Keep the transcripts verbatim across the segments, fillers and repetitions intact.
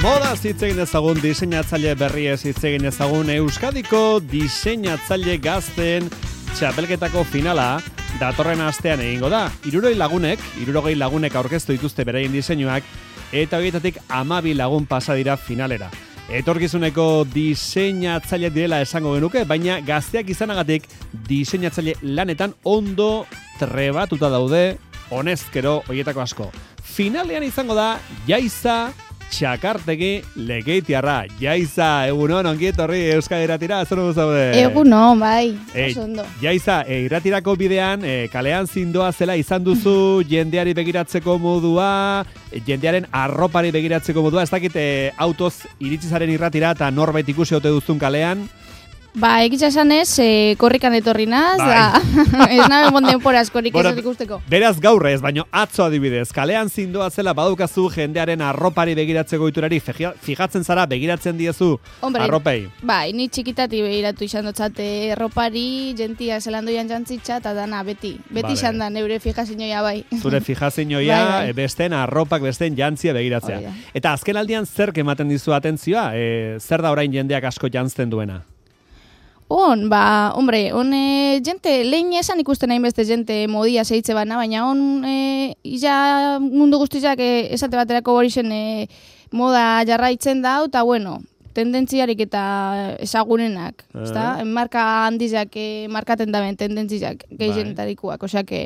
Moda hitz egin ezagun, diseinatzaile berriez hitz egin ezagun, Euskadiko diseinatzaile gazten txapelketako finala datorren astean egingo da. Hirurogei lagunek, hirurogei lagunek aurkeztu dituzte beraien diseinuak, eta horietatik hamabi lagun pasa dira finalera. Etorkizuneko diseinatzaile direla esango genuke, baina gazteak izanagatik diseinatzaile lanetan ondo trebatuta daude, honezkero horietako asko. Finalean izango da Jaiza Txakartegi Lekeitiarra. Jaiza, egunon, ongi etorri Euskadi Irratira, zer dugu zaude? Egunon, bai, e, oso ondo. Jaiza, e, irratirako bidean, e, kalean zindoa zela izan duzu, jendeari begiratzeko modua, jendearen arropari begiratzeko modua, ez dakit e, autoz iritsi zaren irratira eta norbait ikusi ote duzun kalean? Ba, egitza esan ez, e, korrikan etorri naz, bai. Ez nabe monden poraz korrik bueno, ez ikusteko. Beraz gaur ez, baino atzo adibidez, kalean zindoa zela badukazu jendearen arropari begiratzeko iturari, fijatzen zara, begiratzen diezu Hombre, arropei? Bai, ni txikitati begiratu izan dotzate arropari, jentia zelandoian jantzitza, eta dana, beti. Beti vale. Izan da, neure fijazinoia bai. Zure fijazinoia, bai, bai. Besten arropak, besten jantzia begiratzea. Oida. Eta azken aldian zer ematen dizu atentzioa? E, zer da orain jendeak asko jantzten duena? On, ba, hombre, on e, jente, lehen esan ikusten nahi beste jente modia zeitze bana, baina on, e, ja mundu guztizak e, esate baterako hori zen e, moda jarraitzen da, eta bueno, tendentziarik eta ezagunenak, uh. ezta? Marka handizak e, markaten daben tendentziak gehienetarikoak, osea que,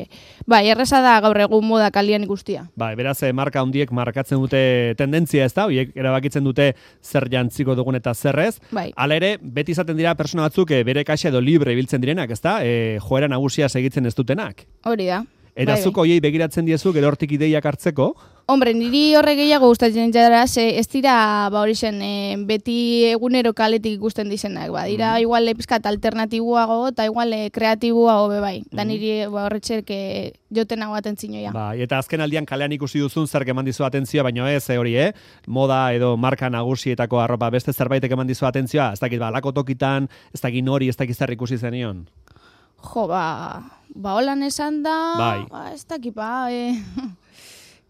bai, erreza da gaur egun moda kalian ikustia. Bai, beraz, e, marka handiek markatzen dute tendentzia, ezta? Horiek erabakitzen dute zer jantziko dugun eta zerrez. Bai. Hala ere, beti izaten dira persona batzuk e, bere kaxa edo libre ibiltzen direnak, ezta? E, joera nagusia segitzen ez dutenak. Hori da. Eta bai, zuk hoiei begiratzen diezu, gero hortik ideiak hartzeko? Hombre, niri horre gehiago gustatzen jara, ez dira, ba hori zen, e, beti egunero kaletik ikusten dizenak, ba, dira mm. igual pizkat alternatiboago, eta igual e, kreatiboago be bai, mm. da niri ba, horretxerk joten hau atentzioa. Ba, eta azken aldian kalean ikusi duzun zer eman dizu atentzioa, baina ez, e, hori, eh? Moda edo marka nagusietako arropa beste zerbaitek eman dizu atentzioa, ez dakit, ba, lako tokitan, ez dakit nori, ez dakit zer ikusi zenion. Jo, ba, ba holan esan da, bai. Ba, ez dakit, ba, e...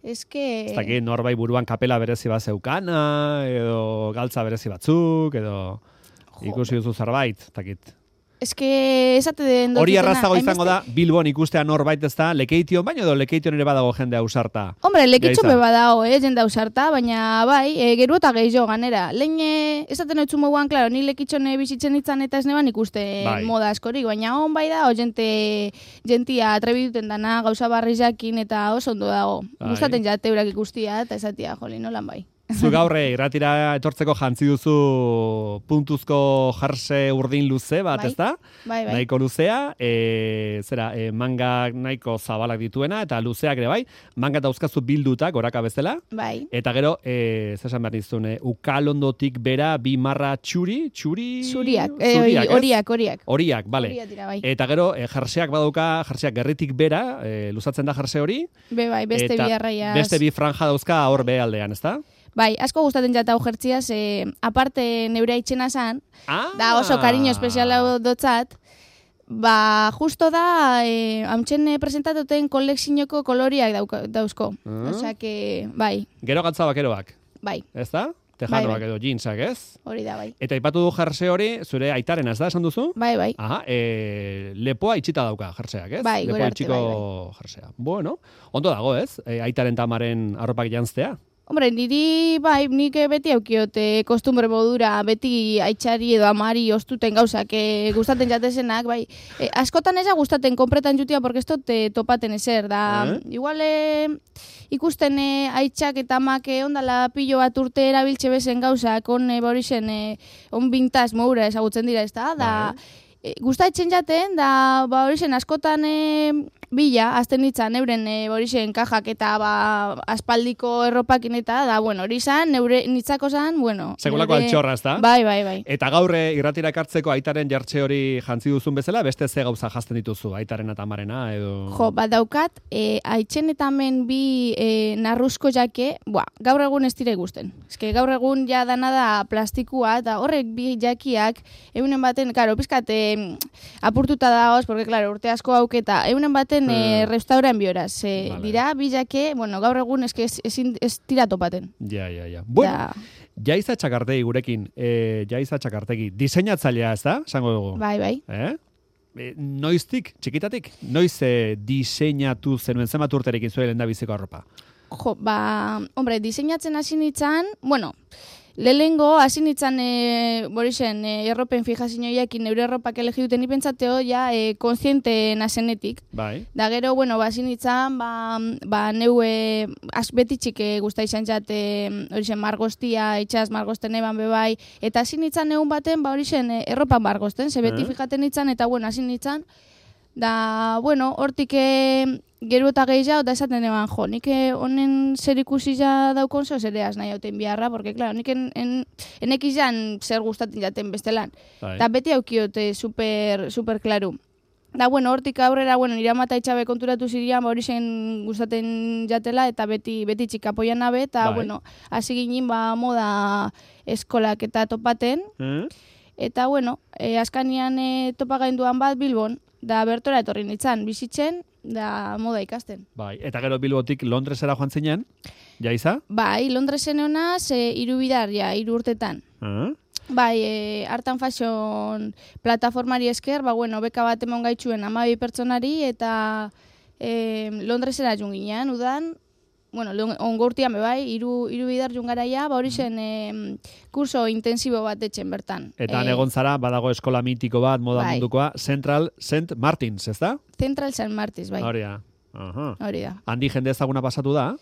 Ez que... Ez dakit, norbait buruan kapela berezi bat zeukana, edo galtza berezi batzuk, edo jo, ikusi duzu zerbait, ez dakit. Ez que esate den dut. Hori arrazago izango da, Bilbon ikustea norbait ez da, Lekeition, baina edo Lekeition ere badago jende ausarta. Hombre, Lekeition be badago, eh, jende ausarta, baina bai, e, geru eta gehiago ganera. Lehen esaten hori moguan, klaro, ni Lekeition bizitzen itzan eta ez neban ikuste bai. Moda askorik, baina on bai da, o jente, jentia atrebituten dana, gauza barri jakin eta oso ondo dago. Bai. Gustaten jateurak ikustia eta esatia, joli, nolan bai. Zu gaurre, irratira etortzeko jantzi duzu puntuzko jarse urdin luze bat, bai, ez da? Bai, bai. Nahiko luzea, e, zera, e, manga nahiko zabalak dituena, eta luzeak ere bai, manga dauzkazu bildutak, goraka bezala. Bai. Eta gero, e, zesan behar dizun, e, ukalondotik bera, bi marra txuri, txuri? Txuriak, horiak, horiak. Horiak, bale. Bai. Eta gero, e, jarseak badauka, jarseak gerritik bera, e, luzatzen da jarse hori. Be bai, beste bi arraiaz. Beste bi franja dauzka hor be aldean, ez da? Bai, asko gustaten jata hau jertziaz, e, aparte neure aitzena zan, ah. da oso kariño espeziala dotzat, ba, justo da, e, amtsen presentatuten kolekzinoko koloriak dauka, dauzko. Uh. Osea que, bai. Gero gatza bakeroak. Bai. Ez da? Tejanoak bai, bai. edo jeansak, ez? Hori da, bai. Eta ipatu du jerse hori, zure aitaren ez da, esan duzu? Bai, bai. Aha, e, lepoa itxita dauka jerseak, ez? Bai, lepoa itxiko bai, bai. Jersea. Bueno, ondo dago, ez? E, aitaren tamaren arropak jantztea. Hombre, niri, bai, nik beti aukiote kostumbre modura, beti aitxari edo amari ostuten gauzak e, gustaten jatezenak, bai. E, askotan eza gustaten konpretan jutia, porque ez tote topaten ezer, da, eh? Igual e, ikusten e, aitxak eta amak ondala pilo bat urte erabiltxe bezen gauzak, on e, borixen, e, on bintaz moura ezagutzen dira, ez da, da, e, gustatzen jaten, da, ba, horixen askotan e, bila, azten nitzan, euren e, horixen kajak eta ba, aspaldiko erropakin eta, da, bueno, hori zan, neure nitzako zan, bueno. Segulako neure... altxorra, ez da? Bai, bai, bai. Eta gaurre irratira ekartzeko aitaren jartxe hori jantzi duzun bezala, beste ze gauza jazten dituzu, aitaren eta amarena, edo... Jo, bat daukat, e, aitzen eta men bi e, narruzko jake, bua, gaur egun ez dire gusten. Ez que gaur egun ja dana da plastikua, eta horrek bi jakiak, egunen baten, karo, pizkat, e, apurtuta dagoz, porque, klaro, urte asko hauketa, egunen baten Borizen, eh. e, restauran bioraz. E, Vale. Dira, bilake, bueno, gaur egun eske ez, ez, ez tira topaten. Ja, ja, ja. Bueno, Da, Jaiza Txakartegi gurekin, e, Jaiza Txakartegi, diseinatzailea ez da, esango dugu? bai, bai. Eh? E, noiztik, txikitatik, noiz e, diseinatu zenuen zenbat urterekin zuen lehendabiziko arropa? Jo, ba, hombre, diseinatzen hasi nintzen, bueno, lehengo hasi nintzen, e, borixen, e, erropen fijazinoiakin neure erropak elegi duten ipentzateo, ja, e, konsiente nazenetik. Bai. Da gero, bueno, ba, hasi nintzen, ba, ba neue, az beti txike guzta izan jate, horixen, margostia, itxaz, margosten eban bebai, eta hasi nintzen egun baten, ba, horixen, e, erropan margosten, ze beti Eh? fijaten nintzen, eta, bueno, hasi nintzen, da, bueno, hortik e, gero eta gehiago, da esaten eban, jo, nik eh, honen zer ikusi ja daukon zeo zereaz nahi hauten biharra, porque, claro, nik en, en, enek izan zer gustaten jaten bestelan. Bai. Da beti haukiote super, super klaru. Da, bueno, hortik aurrera, bueno, nire amata itxabe konturatu zirian, ba, hori zen gustaten jatela, eta beti, beti txikapoian nabe, eta, Bai. bueno, hasi ginen, ba, moda eskolak eta topaten, Eh? eta, bueno, e, askanian e, topa gainduan bat Bilbon, da bertora etorri nintzen, bizitzen, da moda ikasten. Bai, eta gero Bilbotik Londresera joan zinen, Jaiza? Bai, Londresen honaz, e, hiru bidar, ja, hiru urtetan. Eh? Bai, e, Artan Fashion plataformari esker, ba, bueno, beka bat emon gaitzuen hamabi pertsonari, eta e, Londresera junginean, udan, bueno, ongurtian be bai, hiru hiru bidar jungaraia, ba hori zen e, kurso intensibo bat etxen bertan. Eta E, egon zara, badago eskola mitiko bat, moda bai. mundukoa, Central Saint Martins, ez da? Central Saint Martins, bai, Hori da. Aha. hori da. Handi jende ezaguna pasatu da?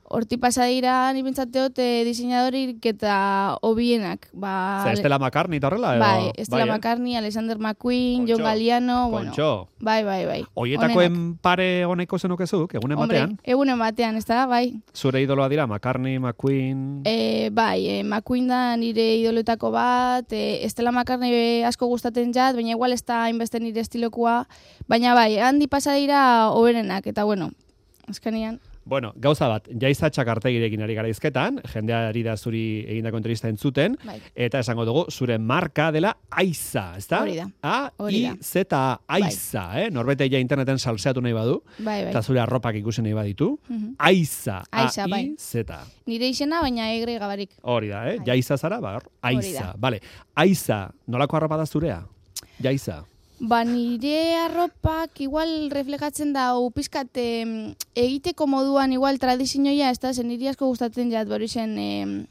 Horti pasadira, ni pentsatteot, e, diseinadorik eta hobienak. Ba, Ze Estela McCartney eta horrela? Edo? bai, Estela eh? McCartney, Alexander McQueen, Kontxo, John Galliano, bueno, Kontxo. bai, bai, bai. Oietakoen Onenak. pare honeko zenukezuk, egunen Hombre, batean? egunen batean, ez da, bai. Zure idoloa dira, McCartney, McQueen... E, bai, e, McQueen da nire idoletako bat, e, Estela McCartney be asko gustaten jat, baina igual ez da hainbeste nire estilokoa, baina bai, handi pasadira hoberenak, eta bueno, azkenian. Bueno, gauza bat, Jaiza Txakartegirekin ari gara izketan, jendeari da zuri egindako entrevista entzuten, Bai. eta esango dugu, zure marka dela Aiza, ezta? Hori da. A, Hori I, da. Z, Aiza, eh? Norbete ja interneten salseatu nahi badu, Bai, bai. eta zure arropak ikusi nahi baditu. Mhm. Aiza, Aiza, A, I, bai. Z. Nire izena, baina egre gabarik. Hori da, eh? Bai. Jaiza zara, ba, Hori Aiza. da. Vale. Aiza, nolako arropa da zurea? Jaiza. Ba, nire arropak igual reflejatzen da, pizkat eh, egiteko moduan igual tradizioia, ez da, zen niri asko gustatzen jat, bori zen eh,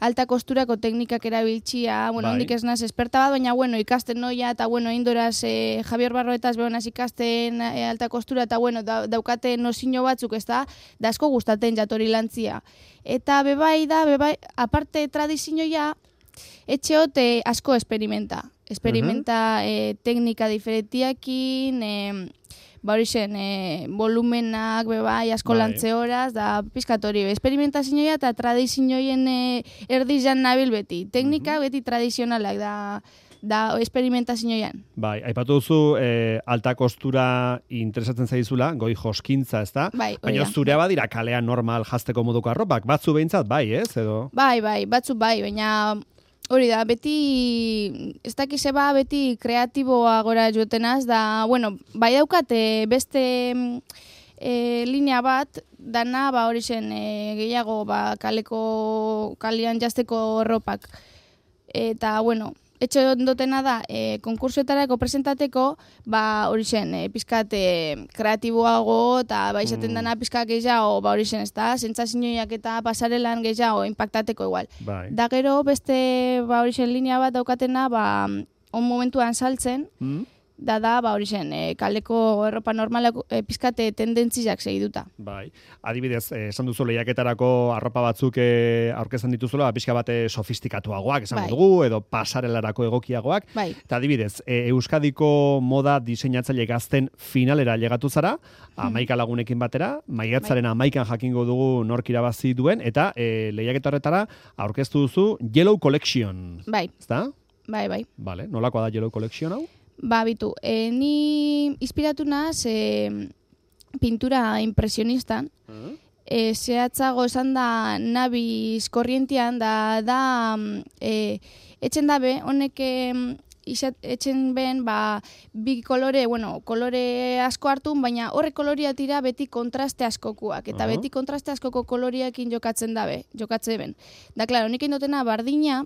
alta kosturako teknikak erabiltzia, bueno, Bai. hondik ez naz esperta bat, baina, bueno, ikasten noia, eta, bueno, indoraz eh, Javier Barroetaz behonaz ikasten eh, alta kostura, eta, bueno, da, daukate nozino batzuk, ez da, da asko gustatzen jat hori lantzia. Eta bebai da, bebai, aparte tradizioia, etxeote asko experimenta. Experimenta eh, teknika diferentiakin, eh, ba hori zen, eh, volumenak, bebai, asko Bai. lantze horaz, da pizkatori. Experimentazioa eta tradizioen eh, erdizan nabil beti. Teknika beti tradizionalak da, da experimentazioan. Bai, aipatu duzu eh, alta kostura interesatzen zaizula, goi joskintza, ez da? Bai, hori Baina da. zurea badira kalean normal jazteko moduko arropak, batzu behintzat, bai, ez? Edo? Bai, bai, batzuk bai, baina hori da, beti, ez dakize ba, beti kreatiboa gora jotenaz, da, bueno, bai daukate beste e, linea bat, dana, ba, hori zen, e, gehiago, ba, kaleko, kalian jazteko erropak. Eta, bueno, etxe ondotena da, e, konkursoetarako presentateko, ba, hori zen, e, pizkat e, kreatiboago, eta ba, izaten Mm. dana pizkat gehiago, ba, hori zen, ez da, sentsazioak eta pasarelan gehiago impactateko igual. Bai. Da gero, beste, ba, hori zen, linea bat daukatena, ba, on momentuan saltzen, Mm? da da, ba, hori zen, e, kaleko erropa normalak e, pizkate tendentziak segiduta. Bai. Adibidez, eh, esan duzu lehiaketarako arropa batzuk eh, aurkezan dituzula, pixka bate sofistikatuagoak, esango Bai. dugu, edo pasarelarako egokiagoak. Bai. Eta adibidez, e, Euskadiko moda diseinatzaile gazten finalera llegatu zara, amaika lagunekin batera, maiatzaren amaikan jakingo dugu nork irabazi duen, eta e, lehiaketa horretara aurkeztu duzu Yellow Collection. Bai, Ezta? bai, bai. Vale, nolakoa da Yellow Collection hau? Ba, bitu, e, ni inspiratu naz e, pintura impresionistan, e, zehatzago esan da nabiz korrientian, da, da mm, e, etxen dabe, honek e, isat, etxen ben, ba, bi kolore, bueno, kolore asko hartun, baina horre koloria tira beti kontraste askokuak, eta Uh-huh. beti kontraste askoko koloriakin jokatzen dabe, jokatze ben. Da, klaro, nik indotena bardina,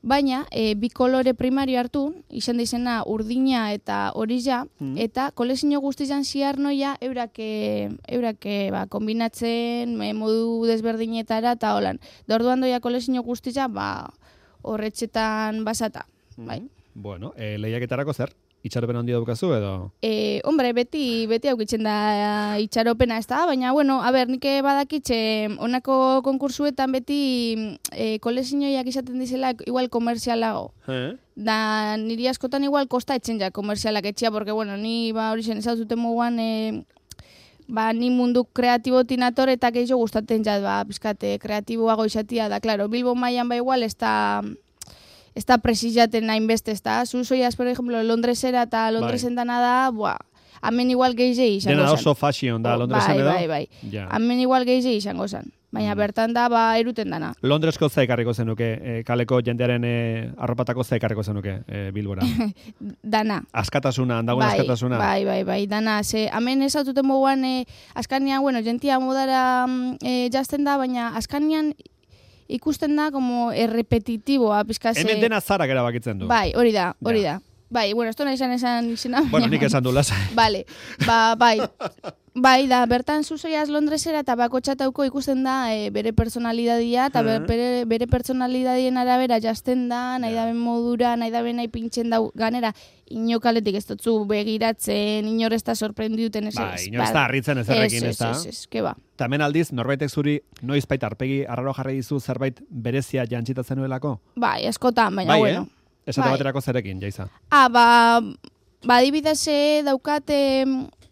baina e, bi kolore primario hartu, izan da izena urdina eta orija, Mm. eta kolezio guztizan ziar noia eurake, eurake ba, kombinatzen e, modu desberdinetara eta holan. Da orduan doia kolezio guztiza, ba, horretxetan basata, bai. Bueno, e, lehiaketarako zer? Itxaropen handi daukazu edo? E, hombre, beti, beti aukitzen da itxaropena ez da, baina, bueno, a ber, nik badakitxe, honako konkursuetan beti e, kolezioiak izaten dizela igual komerzialago. Eh? Da, niri askotan igual kosta etxen ja komerzialak etxia, porque, bueno, ni, ba, hori zen, ezaututen muguan, e, ba, ni mundu kreatibotin ator eta gehiago gustaten jat, ba, pizkate, kreatiboago izatia, da, claro, Bilbo mailan ba igual, ez da, ez da presizaten hainbeste, ez da, zu soiaz, por ejemplo, Londresera eta Londresen dana da, buah, hemen igual gehiago izango Dena zen. oso fashion da Londresen bai, edo? Bai, bai, Ja. hemen igual gehiago izango zen. Baina bertan da, ba, eruten dana. Londresko ze ekarriko zenuke, e, kaleko jendearen e, arropatako ze ekarriko zenuke e, Bilbora. Dana. Askatasuna, handagoen Bai, askatasuna. bai, bai, bai, dana. Ze, hemen ez aututen moguan, e, askanian, bueno, jentia modara e, jazten da, baina askanian ikusten da como errepetitiboa, pizkase. Hemen dena zarak erabakitzen du. Bai, hori da, hori Ja. da. Bai, bueno, esto nahi esan esan izena. Bueno, nik esan du lasai. Vale, ba, bai. Bai, da, bertan zuzoiaz Londresera eta bako txatauko ikusten da e, bere personalidadia, eta Mhm. bere, bere personalidadien arabera jazten da, nahi Ja. daben modura, nahi daben nahi pintzen dau, ganera, inokaletik ez dutzu begiratzen, inor ez da sorprendiuten ez. Bai, ez, inor ez da harritzen ezerrekin, ez da? Ez, ez, ez, ke ba. Eta hemen aldiz, norbaitek zuri noiz baita arpegi arraro jarri dizu zerbait berezia jantzita zenuelako? Bai, askotan, baina, Bai, bueno. eh? Esate Bai. baterako zerekin, jaiza. Ah, ba, ba adibidez eh, daukate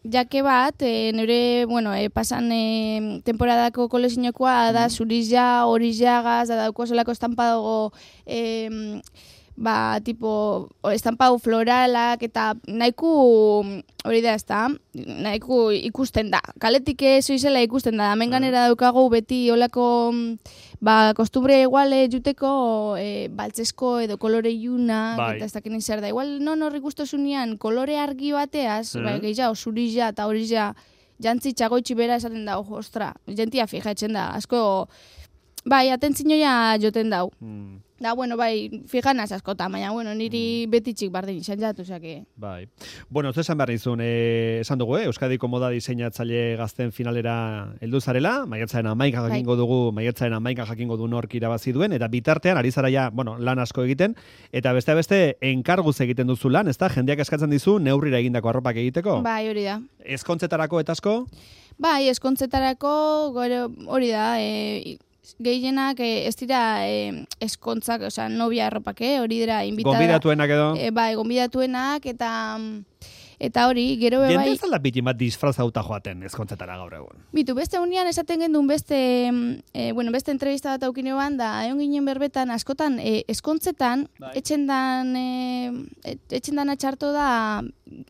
jake bat, e, nire, bueno, e, pasan e, temporadako kolezinokoa da zuriza, orizagaz, da dauko zelako estampadago, e, ba, tipo, estampadu floralak, eta nahiko, hori da ez da, nahiko ikusten da. Kaletik ez izela ikusten da, hemen ganera daukagu beti olako, ba, kostumbre iguale juteko e, baltzesko edo kolore iunak, Bai. eta ez dakin zer da. Igual non horri guztosunean kolore argi bateaz, Mhm. ba, gehiago, zuriza eta horiza, jantzi txagoitxi bera esaten da, ojo, ostra, jentia fijatzen da, asko, bai, atentzinoia joten dau. Hmm. Da, bueno, bai, fijanaz askota, baina, bueno, niri betitxik bardin izan jatu, osake. Bai. Bueno, ez esan behar nizun, eh, esan dugu, eh, Euskadiko moda diseinatzaile gazten finalera heldu zarela, maiatzaren amaika Bai. jakingo dugu, maiatzaren amaika jakingo du nork irabazi duen, eta bitartean, ari zara ja, bueno, lan asko egiten, eta beste beste enkarguz egiten duzu lan, ezta? Jendeak eskatzen dizu neurrira egindako arropak egiteko? Bai, hori da. Ezkontzetarako eta asko? Bai, eskontzetarako, gero, hori da, e, gehienak e, ez dira e, eskontzak, osea, novia arropak, eh? Hori dira, invitada. Gonbidatuenak edo? E, bai, gonbidatuenak, eta eta hori, gero be Jende bai, ez da bitin bat disfrazauta joaten ezkontzetara gaur egun. bitu, beste unian esaten gendun beste, e, bueno, beste entrevista bat aukinean, da, egon ginen berbetan, askotan, e, eskontzetan, Bai. etxendan, e, etxendan atxarto da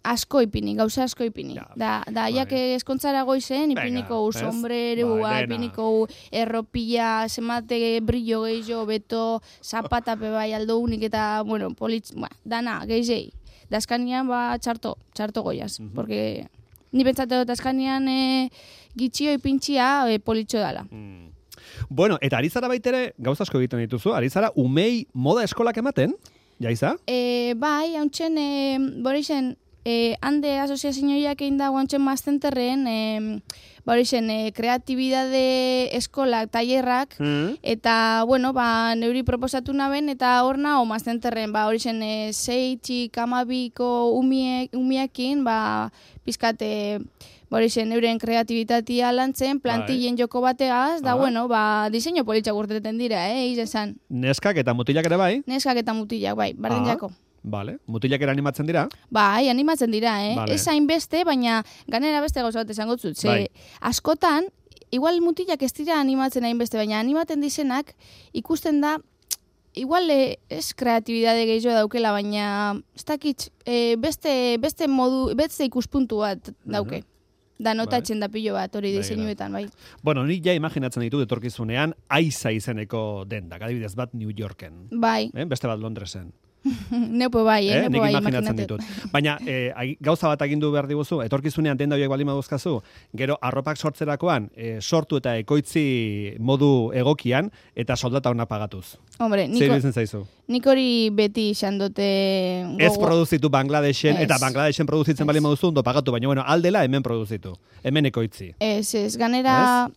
asko ipini, gauza asko ipini. Ja, da, da, bai. jak eskontzara goizen, Venga, ipiniko ez? sombrerua, Bai, dena. ipiniko erropia, semate brillo gehiago, beto, zapatape bai aldo unik, eta, bueno, politz, ba, dana, gehiagei. Da askanian, ba, txarto, txarto goiaz. Mhm. Porque ni pentsate dut askanian e, gitxio ipintxia e, politxo dala. Mm. Bueno, eta ari zara baitere, gauza asko egiten dituzu, ari zara umei moda eskolak ematen? Jaiza? E, bai, hauntxen, e, borixen, e, hande asoziazioiak egin dago hauntxen maztenterren, e, borixen, e, kreatibidade eskolak, tailerrak, Mm. eta, bueno, ba, neuri proposatu naben, eta hor nago maztenterren, ba, horixen, e, sei txik amabiko umiek, umiakin, ba, pizkate, borixen, euren kreatibitatea lantzen, plantillen joko bategaz, da, Ah. bueno, ba, diseño politxak urteten dira, eh, izen zan. Neskak eta mutilak ere bai? Neskak eta mutilak, bai, bardin Ah. jako. Vale. Mutilak ere animatzen dira? Bai, animatzen dira, eh? Vale. Ez hainbeste, baina ganera beste gauza bat esango zut. Ze Bai. askotan, igual mutilak ez dira animatzen hainbeste, baina animaten dizenak ikusten da, igual eh, ez kreatibidade gehiago daukela, baina ez dakit, eh, beste, beste modu, beste ikuspuntu bat dauke. Da notatzen da pilo bat hori Bai, diseinuetan, bai. Bueno, ni ja imaginatzen ditu etorkizunean aiza izeneko dendak, adibidez bat New Yorken. Bai, Eh? Beste bat Londresen. Neupo bai, eh? Eh? Neupo Nik bai, imaginatzen imaginatzen. ditut. Baina, eh, agi- gauza bat agindu behar diguzu, etorkizunean denda horiek baldin baduzkazu, gero arropak sortzerakoan, eh, sortu eta ekoitzi modu egokian, eta soldata ona pagatuz. Hombre, Zer niko, iruditzen zaizu? nik hori beti izan dute... Ez gogo- produzitu Bangladeshen, Ez. eta Bangladeshen produzitzen Ez. baldin baduzu, ondo pagatu, baina bueno, aldela hemen produzitu, hemen ekoitzi. Ez, ez, ganera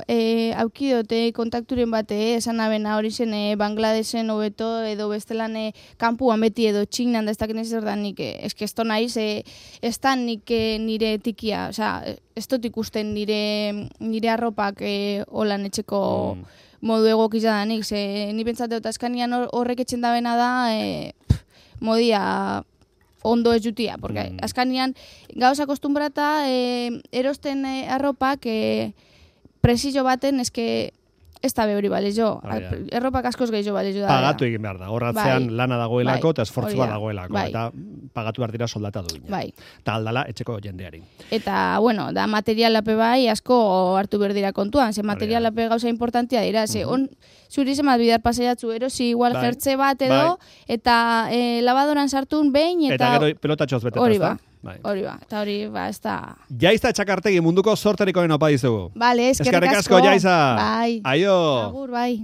e, aukidote kontakturen bate, esan abena hori zen e, Bangladesen hobeto edo bestelan e, kanpuan beti edo txinan da ez dakin ez da nik, e, eske esto naiz, e, ez da nik e, nire tikia, osea, ez dut ikusten nire, nire arropak e, holan etxeko Mm. modu egokiza da nik, ze ni pentsate dut askanian hor- horrek etxen dabena da, e, pff, modia ondo ez jutia, porque Mm. askanian gauza akostumbrata e, erosten e, arropak e, presio baten eske ez da behori balezo. Hori da. Erropak askoz gehiago balezo da. Pagatu egin behar da, horratzean Bai. lana dagoelako Bai. eta esfortzu Hori bat da. dagoelako, Bai. eta pagatu behar dira soldata duina. Bai. Eta aldala etxeko jendeari. Eta, bueno, da materialape bai asko hartu behar dira kontuan, ze Hori da. materialape gauza importantia dira, ze on, zuri zemat bidar pasaiatzu, erosi igual Bai. jertze bat edo, eta e, labadoran sartun behin, Eta, eta, gero pelotatxoz beteta, hori ezta? ba, Bai. hori ba, eta hori ba, ez da... Jaiza Txakartegi munduko sorterikoen opa dizugu. Vale, eskerrik Eskerrik asko. asko, Jaiza. Bai. Aio. Agur, bai.